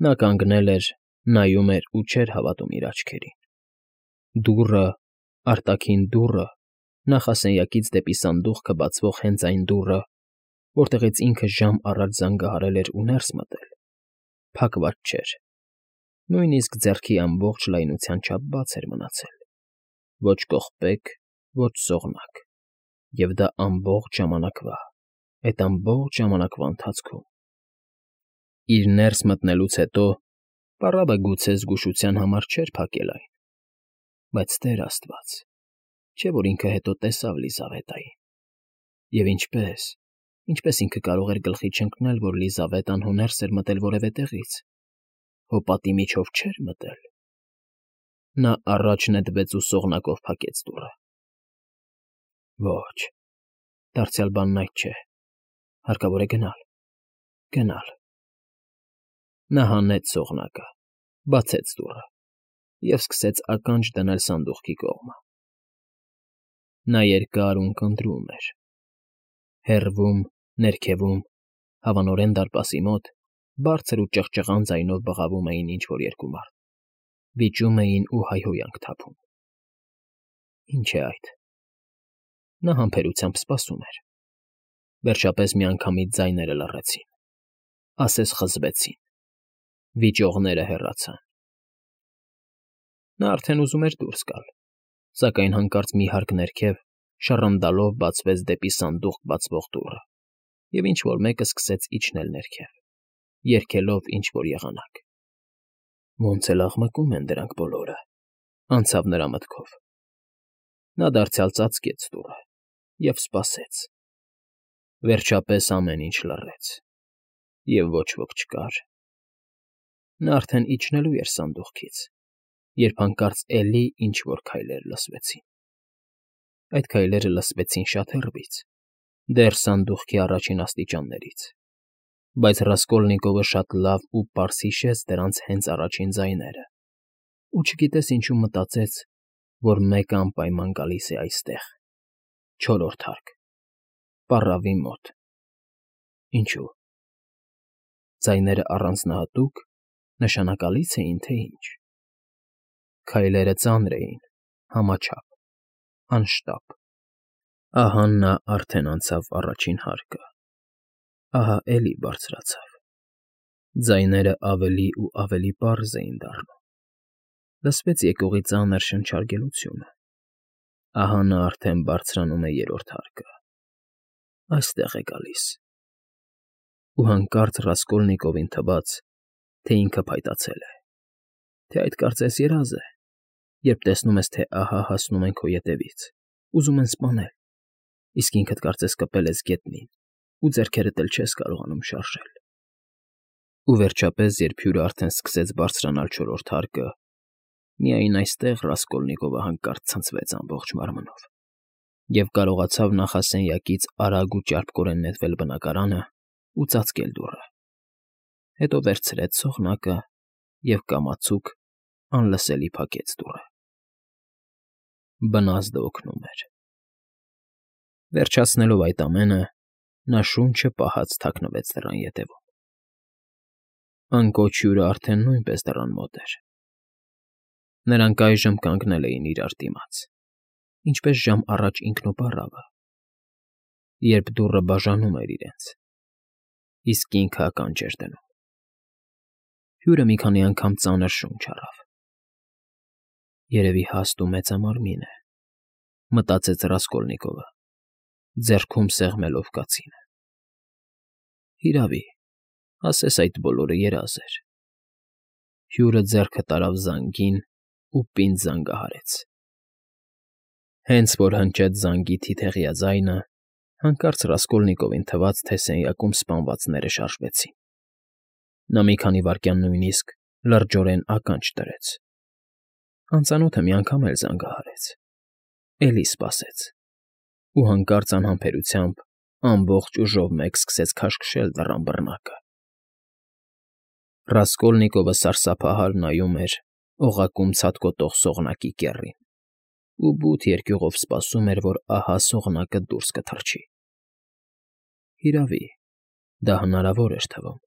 Նա կանգնել էր, նայում էր ու չէր հավատում իր աչքերին. դուռը, արտաքին դուռը, նախասենյակից դեպի սանդուղքը բացվող հենց այն դուռը, որտեղից ինքը ժամ առաջ զանգահարել էր ու ներս մտել, փակված չէր, նույնիսկ ձեռքի ամբողջ լայնության չափ բաց էր մնացել, ոչ կողպեք, ոչ սողնակ, և դա ամբողջ ժամանակվա ընթացքում։ Իր ներս մտնելուց հետո պառավը գուցե զգուշության համար չէր փակել այն, բայց Տեր Աստված, չէ՞ որ ինքը հետո տեսավ Լիզավետային, և ինչպես ինքը կարող էր գլխի չընկնել, որ Լիզավետան հո ներս էր մտել որևէ տեղից, հո պատի միջով չէր մտել։ Նա առաջ նետվեց ու սողնակով փակեց դուռը։ Ոչ, դարձյալ բանն այդ չէ, հարկավոր է գնալ։ Նա հանեց սողնակը, բացեց դուռը և սկսեց ականջ դնել սանդուղքի կողմը։ Նա երկար ու ունկնդրում էր։ Հեռվում, ներքևում, հավանորեն դարպասի մոտ, բարձր ու ճղճղան ձայնով բղավում էին ինչ֊որ երկու մարդ, վիճում էին ու հայհոյանք թափում։ Ինչ է այդ։ Նա համբերությամբ սպասում էր։ Վերջապես միանգամից ձայները լռեցին, ասես խզվեցին, վիճողները հեռացան։ Նա արդեն ուզում էր դուրս գալ, սակայն հանկարծ մի հարկ ներքև շռնդալով բացվեց դեպի սանդուղք բացվող դուռը, և ինչ֊որ մեկը սկսեց իջնել ներքև, երգելով ինչ֊որ եղանակ։ Ոնց էլ աղմկում են դրանք բոլորը, անցավ նրա մտքով։ Նա դարձյալ ծածկեց դուռը և սպասեց։ Վերջապես ամեն ինչ լռեց, և ոչ ոք չկար։ Նա արդեն իջնելու էր սանդուղքից, երբ հանկարծ էլի ինչ֊որ քայլեր լսվեցին։ Այդ քայլերը լսվեցին շատ հեռվից, դեռ սանդուղքի առաջին աստիճաններից, բայց Ռասկոլնիկովը շատ լավ ու պարզ հիշեց դրանց հենց առաջին ձայները ու չգիտես ինչու մտածեց, որ մեկը անպայման գալիս է այստեղ, չորրորդ հարկ, պառավի մոտ։ Ինչո՞ւ։ Ձայները առանձնահատուկ, նշանակալի՞ց էին, թե ինչ։ Քայլերը ծանր էին, համաչափ, անշտապ։ Ահա նա արդեն անցավ առաջին հարկը, ահա էլի բարձրացավ։ Ձայները ավելի ու ավելի պարզ էին դառնում։ Լսվեց եկողի ծանր շնչարգելությունը։ Ահա նա արդեն բարձրանում է երրորդ հարկը, այստեղ է գալիս։ Ու հանկարծ Ռասկոլնիկովին թվաց, թե ինքը փայտացել է, թե այդ կարծես երազ է, երբ տեսնում ես, թե ահա հասնում են քո ետևից, ուզում են սպանել, իսկ ինքդ կարծես կպել ես գետնին ու ձեռքերդ էլ չես կարողանում շարժել։ Ու վերջապես, երբ հյուրը արդեն սկսեց բարձրանալ չորրորդ հարկը, միայն այստեղ Ռասկոլնիկովը հանկարծ ցնցվեց ամբողջ մարմնով և կարողացավ նախասենյակից արագ ու ճարպկորեն նետվել բնակարանը ու ծածկել դուռը, հետո վերցրեց սողնակը և կամացուկ, անլսելի փակեց դուռը։ Բնազդը օգնում էր։ Վերջացնելով այդ ամենը, նա շունչը պահած թաքնվեց դռան ետևում։ Անկոչ հյուրը արդեն նույնպես դռան մոտ էր։ Նրանք այժմ կանգնել էին իրար դիմաց, ինչպես ժամ առաջ ինքն ու պառավը, երբ դուռը բաժանում էր իրենց, իսկ ինքը ականջ էր դնում։ Հյուրը մի քանի անգամ ծանր շունչ առավ։ Երևի հաստ ու մեծամարմին է, մտածեց Ռասկոլնիկովը, ձեռքում սեղմելով կացինը։ Հիրավի, ասես այդ բոլորը երազ էր։ Հյուրը ձեռքը տարավ զանգին ու պինդ զանգահարեց։ Հենց որ հնչեց զանգի թիթեղյա ձայնը, հանկարծ Ռասկոլնիկովին թվաց, թե սենյակում սպանվածները շարժվեցին։ Նա մի քանի վայրկյան նույնիսկ լրջորեն ականջ դրեց։ Անծանոթը մի անգամ էլ զանգահարեց, էլի սպասեց, ու հանկարծ անհամբերությամբ ամբողջ ուժով մեկ սկսեց քաշքշել դռան բռնակը։ Ռասկոլնիկովը սարսափահար նայում էր օղակում ցատկոտող սողնակի կեռին ու բութ երկյուղով սպասում էր, որ ահա սողնակը դուրս կթռչի։ Հիրավի, դա հնարավոր էր թվում,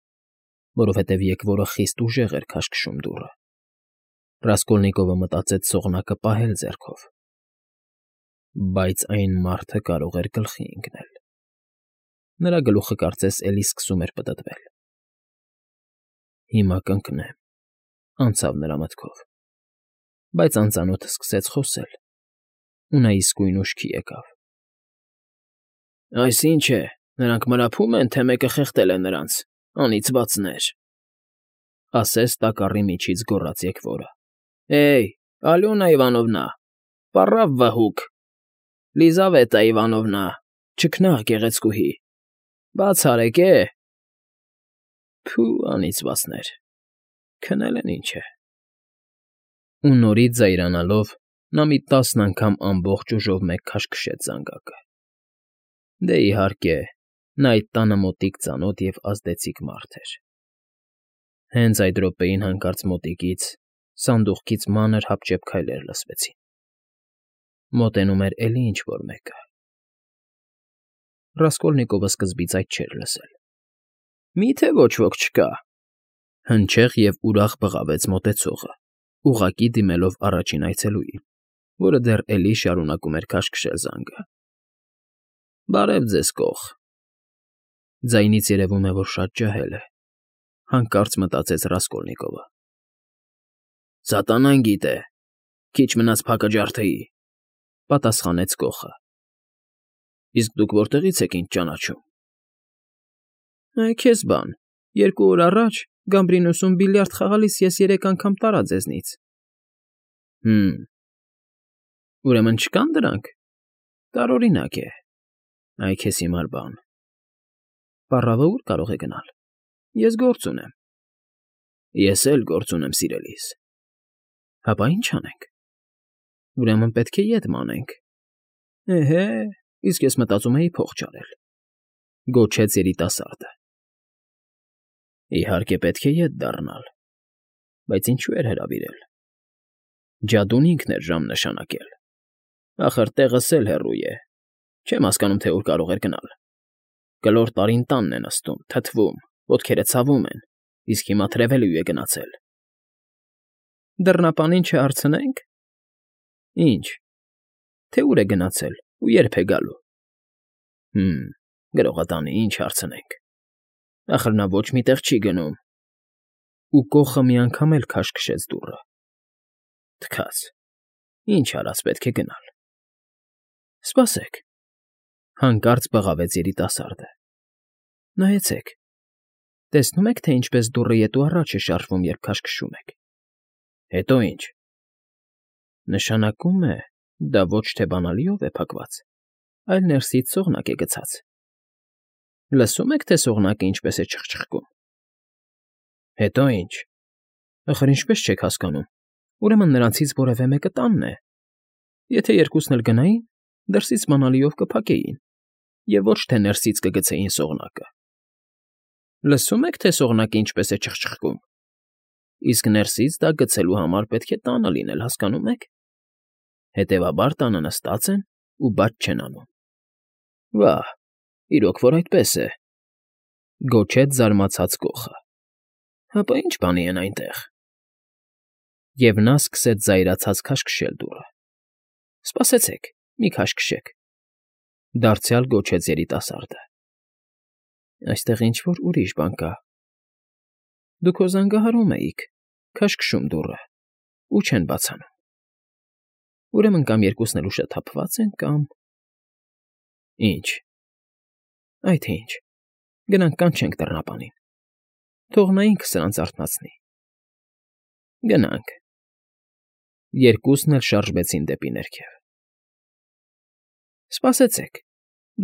որովհետև եկվորը խիստ ուժեղ էր քաշքշում դուռը։ Ռասկոլնիկովը մտածեց սողնակը պահել ձեռքով, բայց այն մարդը կարող էր գլխի ընկնել։ Նրա գլուխը կարծես էլի սկսում էր պտտվել։ Հիմա կընկնեմ, անցավ նրա մտքով, բայց անծանոթը սկսեց խոսել, ու նա իսկույն ուշքի եկավ։ Այս ի՞նչ է, նրանք մրափում են, թե մեկը խեղդել է նրանց, անիծվածներ, ասես տակառի միջից գոռաց եկվորը։ Էյ, Ալյոնա Իվանովնա, պառավ վհուկ, Լիզավետա Իվանովնա, չքնաղ գեղեցկուհի, բաց արեք է։ Փու, անիծվածներ, քնել են ինչ է։ Ու նորից զայրանալով, նա մի 10 անգամ ամբողջ ուժով մեկ քաշքշեց զանգակը։ Դե իհարկե, նա այդ տանը մոտիկ ծանոթ և ազդեցիկ մարդ էր։ Հենց այդ րոպեին հանկարծ մոտիկից, սանդուղքից մանր հապճեպ քայլեր լսվեցին։ Մոտենում էր էլի ինչ֊որ մեկը։ Ռասկոլնիկովը սկզբից այդ չէր լսել։ Մի՞թե ոչ ոք չկա։ Հնչեղ և ուրախ բղավեց մոտեցողը, ուղղակի դիմելով առաջին այցելուին, որը դեռ էլի շարունակում էր քաշքշել զանգը։ Բարև ձեզ, կող։ Ձայնից երևում է, որ շատ ջահել է, հանկարծ մտածեց Ռասկոլնիկովը։ Սատանան գիտե, քիչ մնաց փակը ջարդեի, պատասխանեց կողը։ Իսկ դուք որտեղից եք ինձ ճանաչում։ Քեզ բան, 2 օր առաջ Գամբրինոսում բիլիարդ խաղալիս ես 3 անգամ տարա ձեզնից։ Ուրեմն չկան դրանք։ Տարօրինակ է։ Այ քեզ հիմար բան։ Պառավը ուր կարող է գնալ։ Ես գործ ունեմ։ Ես էլ գործ ունեմ, սիրելիս։ Հապա ի՞նչ անենք։ Ուրեմն պետք է ետ մանենք։ Էհե, իսկ ես մտածում էի փող չարել։ Գոչեց երիտասարդը։ Իհարկե պետք է ետ դառնալ, բայց ինչու էր հրավիրել։ Ջադուն ինքն էր ժամ նշանակել։ Ախր տեղս էլ հեռու է։ Չեմ հասկանում, թե ուր կարող էր գնալ։ Կլոր տարին տանն է նստում, թթվում, ոտքերը ցավում են, իսկ հիմա թրևելու է գնացել։ Դռնապանին չհարցնենք։ Ինչ։ Թե ուր է գնացել ու երբ է գալու։ Գրողատանի, ինչ հարցնենք։ Ախր նա ոչ մի տեղ չի գնում։ Ու կողը մի անգամ էլ քաշքշեց դուռը։ Թքած։ Ինչ արած, պետք է գնալ։ Սպասեք։ Հանկարծ բղավեց երիտասարդը։ Նայեցեք։ Տեսնում եք, թե ինչպես դուռը ետ ու առաջ է շարժվում, երբ քաշքշում եք։ Հետո ինչ։ Նշանակում է, դա ոչ թե բանալիով է փակված, այլ ներսից սողնակ է գցած։ Լսում եք, թե սողնակը ինչպես է չխչխկում։ Հետո ինչ։ Ախր ինչպես չեք հասկանում։ Ուրեմն նրանցից որևէ մեկը տանն է։ Եթե երկուսն էլ գնային, դրսից բանալիով կփակեին, և ոչ թե ներսից կգցեին սողնակը։ Լսում եք, թե սողնակը ինչպես է չխչխկում։ Իսկ ներսից դա գցելու համար պետք է տանը լինել, հասկանում եք։ Հետևաբար տանը նստած են ու բաց չեն անում։ Վա՜, իրոք որ այդպես է, գոչեց զարմացած կողը։ Հապա ի՞նչ բանի են այնտեղ։ Եվ նա սկսեց զայրացած քաշքշել դուռը։ Սպասեցեք, մի քաշքշեք։ Դարձյալ գոչեց երիտասարդը։ Այստեղ ինչ֊որ ուրիշ բան կա։ Դուք հո զանգահարում էիք, քաշքշում դուռը, ու չեն բացանում։ Ուրեմն կամ երկուսն էլ ուշաթափված են, կամ… Ինչ։ Այ թե ինչ։ Գնանք կանչենք դռնապանին։ Թող նա ինքը սրանց արթնացնի։ Գնանք։ Երկուսն էլ շարժվեցին դեպի ներքև։ Սպասեցեք,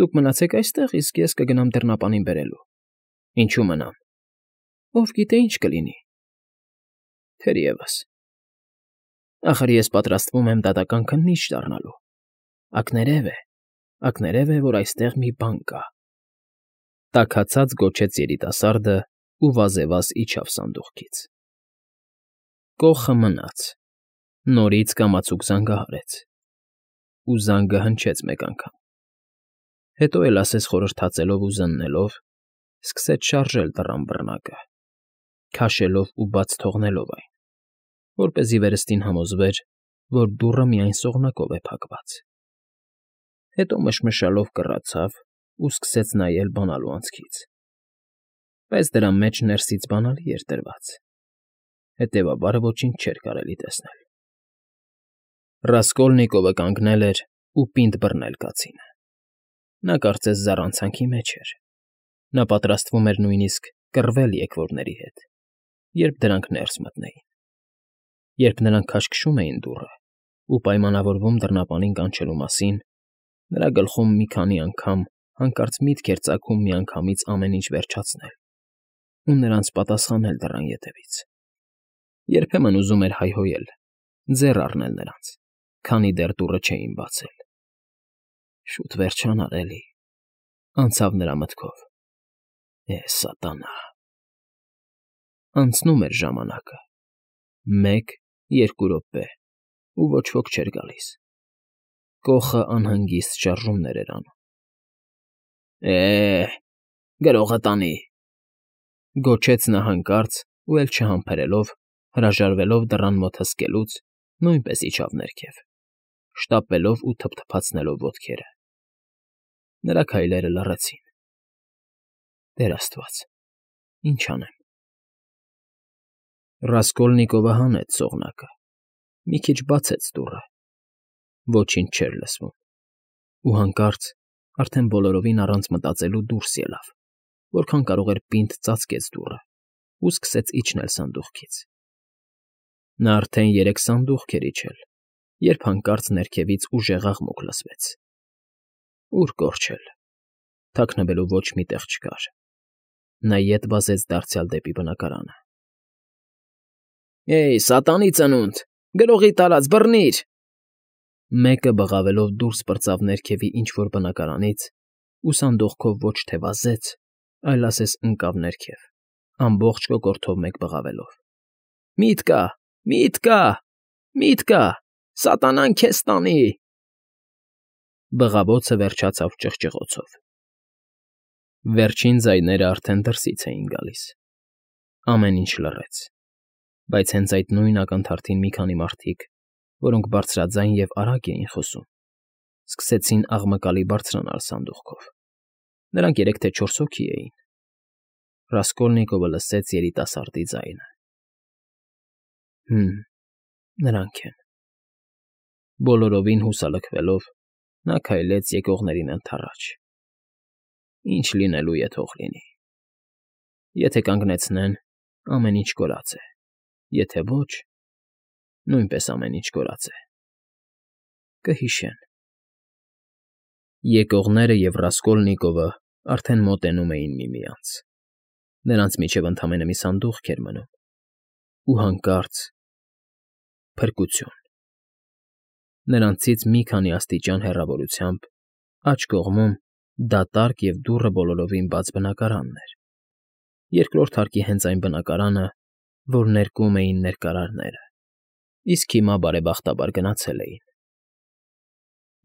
դուք մնացեք այստեղ, իսկ ես կգնամ դռնապանին բերելու։ Ինչու մնամ։ Ով գիտե ինչ կլինի։ Թերևս։ Ախր ես պատրաստվում եմ դատական քննիչ դառնալու։ Ակներև է, որ այստեղ մի բան կա։ Տաքացած գոչեց երիտասարդը ու վազևազ իջավ սանդուղքից։ Կողը մնաց, նորից կամացուկ զանգահարեց, ու զանգը հնչեց մեկ անգամ։ Հետո էլ ասես խորհրդածելով ու զննելով, սկսեց շարժել դռան բռնակը։ քաշելով ու բաց թողնելով այն, որպեսզի վերստին համոզվեր, որ դուռը միայն սողնակով է փակված։ Հետո մշմշալով կռացավ ու սկսեց նայել բանալու անցքից, բայց դրա մեջ ներսից բանալի էր դրված, հետևաբար ոչինչ չէր կարելի տեսնել։ Ռասկոլնիկովը կանգնել էր ու պինդ բռնել կացինը։ Նա կարծես զառանցանքի մեջ էր։ Նա պատրաստվում էր նույնիսկ կռվել եկվորների հետ, երբ դրանք ներս մտնեին։ Երբ նրանք քաշքշում էին դուռը ու պայմանավորվում դռնապանին կանչելու մասին, նրա գլխում մի քանի անգամ հանկարծ միտք էր ծագում միանգամից ամեն ինչ վերջացնել ու նրանց պատասխանել դռան ետևից։ Երբեմն ուզում էր հայհոյել, ձեռ առնել նրանց, քանի դեռ դուռը չէին բացել։ Շուտ վերջանար էլի, անցավ նրա մտքով։ Սատանա։ Անցնում էր ժամանակը, 1-2 րոպե, ու ոչ ոք չէր գալիս։ Կոխը անհանգիստ շարժումներ էր անում։ Գրողը տանի,֊ գոչեց նա հանկարծ ու էլ չհամբերելով, հրաժարվելով դռան մոտ հսկելուց, նույնպես իջավ ներքև, շտապելով ու թփթփացնելով ոտքերը։ Նրա քայլերը լռեցին։ Տեր Աստված, ինչ անեմ։ Ռասկոլնիկովը հանեց սողնակը, մի քիչ բացեց դուռը։ Ոչինչ չէր լսվում։ Ու հանկարծ, արդեն բոլորովին առանց մտածելու դուրս ելավ, որքան կարող էր պինդ ծածկեց դուռը ու սկսեց իջնել սանդուղքից։ Նա արդեն 3 սանդուղք էր իջել, երբ հանկարծ ներքևից ուժեղ աղմուկ լսվեց։ Ուր կորչել, թաքնվելու ոչ մի տեղ չկար։ Նա ետ վազեց դարձյալ դեպի բնակարանը։ Սատանի ծնունդ, գրողի տարած, բռնիր… Մեկը բղավելով դուրս պրծավ ներքևի ինչ֊որ բնակարանից ու սանդուղքով ոչ թե վազեց, այլ ասես ընկավ ներքև, ամբողջ կոկորդով մեկ բղավելով։ Մի՛տ կա, մի՛տ կա, մի՛տ կա, սատանան քեզ տանի… Բղավոցը վերջացավ ճղճղոցով։ Վերջին ձայները արդեն դրսից էին գալիս։ Ամեն ինչ լռեց, բայց հենց այդ նույն ակնթարթին մի քանի մարդիկ, որոնք բարձրաձայն և արագ էին խոսում, սկսեցին աղմկալի բարձրանալ սանդուղքով։ Նրանք 3 թե 4 հոգի էին։ Ռասկոլնիկովը լսեց երիտասարդի ձայնը. Նրանք են… Բոլորովին հուսալքվելով, նա քայլեց եկողներին ընդառաջ։ Ինչ լինելու է, թող լինի։ Եթե կանգնեցնեն, ամեն ինչ կորած է, եթե ոչ, նույնպես ամեն ինչ կորած է… Կհիշեն… Եկողները և Ռասկոլնիկովը արդեն մոտենում էին միմյանց։ Նրանց միջև ընդամենը մի սանդուղք էր մնում, ու հանկարծ… փրկություն… Նրանցից մի քանի աստիճան հեռավորությամբ, աջ կողմում, դատարկ և դուռը բոլորովին բաց բնակարանն էր, երկրորդ հարկի հենց այն բնակարանը, որ ներկում էին ներկարարները, իսկ հիմա բարեբախտաբար գնացել էին։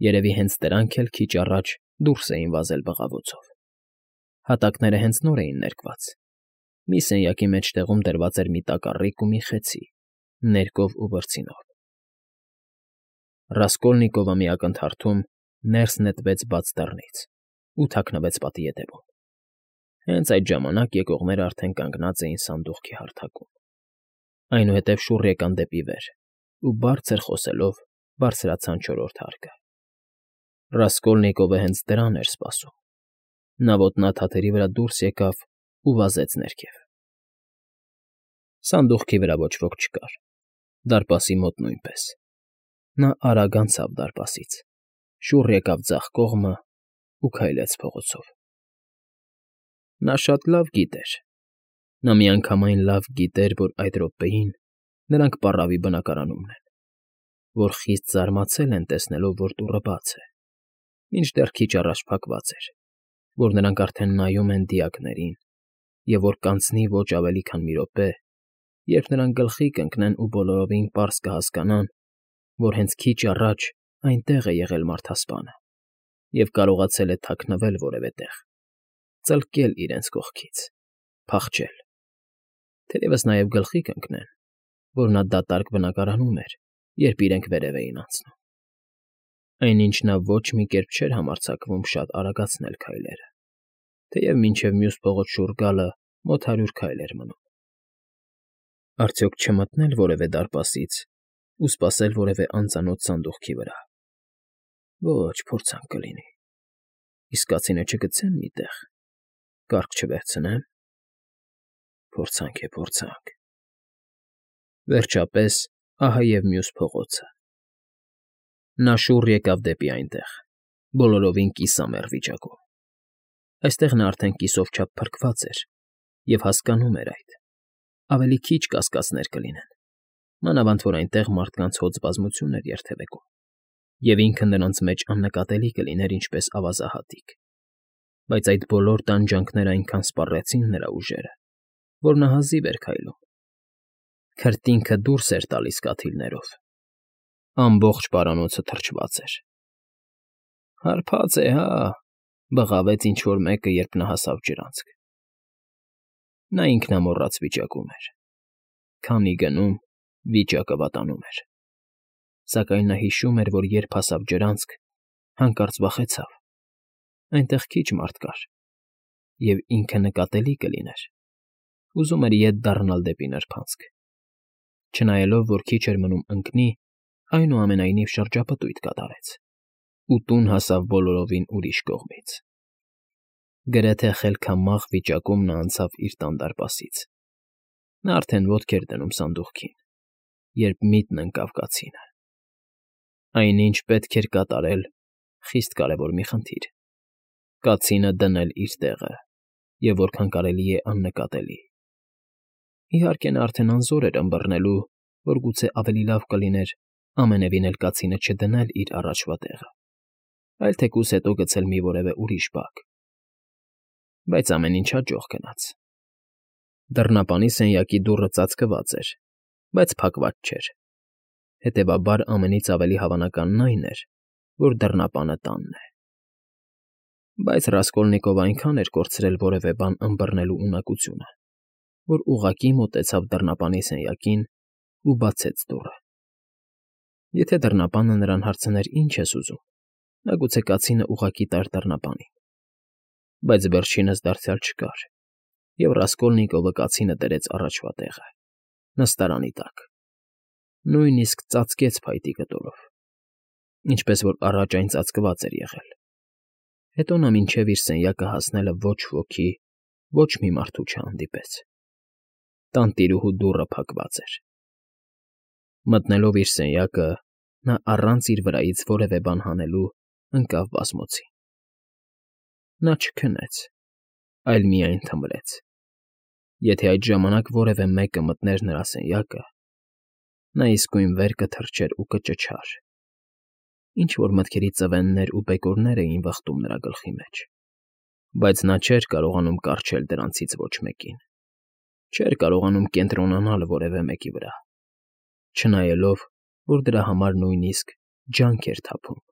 Երևի հենց դրանք էլ քիչ առաջ դուրս էին վազել բղավոցով։ Հատակները հենց նոր էին ներկված։ Մի սենյակի մեջտեղում դրված էր մի տակառիկ ու մի խեցի, ներկով ու բրձինով։ Ռասկոլնիկովը մի ակնթարթում ներս նետվեց բաց դռնից ու թաքնվեց պատի ետևում։ Հենց այդ ժամանակ եկողներն արդեն կանգնած էին սանդուղքի հարթակում։ Այնուհետև շուռ եկան դեպի վեր ու բարձր խոսելով բարձրացան 4-րդ հարկը։ Ռասկոլնիկովը հենց դրան էր սպասում։ Նա ոտնաթաթերի վրա դուրս եկավ ու վազեց ներքև։ Սանդուղքի վրա ոչ ոք չկար, դարպասի մոտ նույնպես։ Նա արագ անցավ դարպասից, շուռ եկավ ձախ կողմը ու քայլեց փողոցով։ Նա շատ լավ գիտեր, նա միանգամայն լավ գիտեր, որ այդ րոպեին նրանք պառավի բնակարանումն են, որ խիստ զարմացել են տեսնելով, որ դուռը բաց է, մինչդեռ քիչ առաջ փակված էր, որ նրանք արդեն նայում են դիակներին և որ կանցնի ոչ ավելի քան մի րոպե, երբ նրանք գլխի կընկնեն ու բոլորովին պարզ կհասկանան, որ հենց քիչ առաջ այնտեղ է եղել մարդասպանը և կարողացել է թաքնվել որևէ տեղ, ծլկել իրենց կողքից, փախչել։ Թերևս նաև գլխի կընկնեն, որ նա դատարկ բնակարանում էր, երբ իրենք վերև էին անցնում։ Այնինչ նա ոչ մի կերպ չէր համարձակվում շատ արագացնել քայլերը, թեև մինչև մյուս փողոց շուռ գալը մոտ 100 քայլ էր մնում։ Արդյոք չմտնել որևէ դարպասից ու սպասել որևէ անծանոթ սանդուղքի վրա։ Ոչ, փորձանք կլինի։ Իսկ կացինը չգցեմ մի տեղ, կառք չվերցնեմ։ Փորձանք է, փորձանք։ Վերջապես, ահա և մյուս փողոցը։ Նա շուռ եկավ դեպի այնտեղ, բոլորովին կիսամեռ վիճակում։ Այստեղ նա արդեն կիսով չափ փրկված էր և հասկանում էր այդ։ Ավելի քիչ կասկածներ կլինեն, մանավանդ որ այնտեղ մարդկանց հոծ բազմություն էր երթևեկում, և ինքը նրանց մեջ աննկատելի կլիներ ինչպես ավազահատիկ։ Բայց այդ բոլոր տանջանքները այնքան սպառեցին նրա ուժերը, որ նա հազիվ էր քայլում։ Քրտինքը դուրս էր տալիս կաթիլներով։ Ամբողջ պարանոցը թրջված էր։ «Հարբած է, հա՜», բղավեց ինչ֊որ մեկը, երբ նա հասավ ջրանցք։ Նա ինքնամոռաց վիճակում էր։ Քանի գնում, վիճակը վատանում էր։ Սակայն նա հիշում էր, որ երբ հասավ ջրանցք, հանկարծ վախեցավ։ Այնտեղ քիչ մարդ կար, և ինքը նկատելի կլիներ։ Ուզում էր ետ դառնալ դեպի նրբանցք։ Չնայելով, որ քիչ էր մնում ընկնի, այնուամենայնիվ շրջապտույտ կատարեց ու տուն հասավ բոլորովին ուրիշ կողմից։ Գրեթե խելքամաղ վիճակում նա անցավ իր տան դարպասից։ Նա արդեն ոտք էր դնում սանդուղքին, երբ միտն ընկավ կացինը։ Այնինչ պետք էր կատարել խիստ կարևոր մի խնդիր. կացինը դնել իր տեղը և որքան կարելի է աննկատելի։ Իհարկե, նա արդեն անզոր էր ըմբռնելու, որ գուցե ավելի լավ կլիներ ամենևին էլ կացինը չդնել իր առաջվա տեղը, այլ թեկուզ հետո գցել մի որևէ ուրիշ բակ։ Բայց ամեն ինչ հաջող գնաց։ Դռնապանի սենյակի դուռը ծածկված էր, բայց փակված չէր։ Հետևաբար ամենից ավելի հավանականն այն էր, որ դռնապանը տանն է։ Բայց Ռասկոլնիկովը այնքան էր կորցրել որևէ բան ըմբռնելու ունակությունը, որ ուղղակի մոտեցավ դռնապանի սենյակին ու բացեց դուռը։ Եթե դռնապանը նրան հարցներ. «Ինչ ես ուզում», նա գուցե կացինը ուղղակի տար դռնապանին։ Բայց վերջինս դարձյալ չկար, և Ռասկոլնիկովը կացինը դրեց առաջվա տեղը, նստարանի տակ, նույնիսկ ծածկեց փայտի կտորով, ինչպես որ առաջ այն ծածկված էր եղել։ Հետո նա մինչև իր սենյակը հասնելը ոչ ոքի, ոչ մի մարդու չհանդիպեց։ Տանտիրուհու դուռը փակված էր։ Մտնելով իր սենյակը, նա առանց իր վրայից որևէ բան հանելու ընկավ բազմոցին։ Նա չքնեց, այլ միայն թմրեց։ Եթե այդ ժամանակ որևէ մեկը մտներ նրա սենյակը, նա իսկույն վեր կթռչեր ու կճչար։ Ինչ֊որ մտքերի ծվեններ ու բեկորներ էին վխտում նրա գլխի մեջ, բայց նա չէր կարողանում կառչել դրանցից ոչ մեկին, չէր կարողանում կենտրոնանալ որևէ մեկի վրա, չնայելով, որ դրա համար նույնիսկ ջանք էր թափում։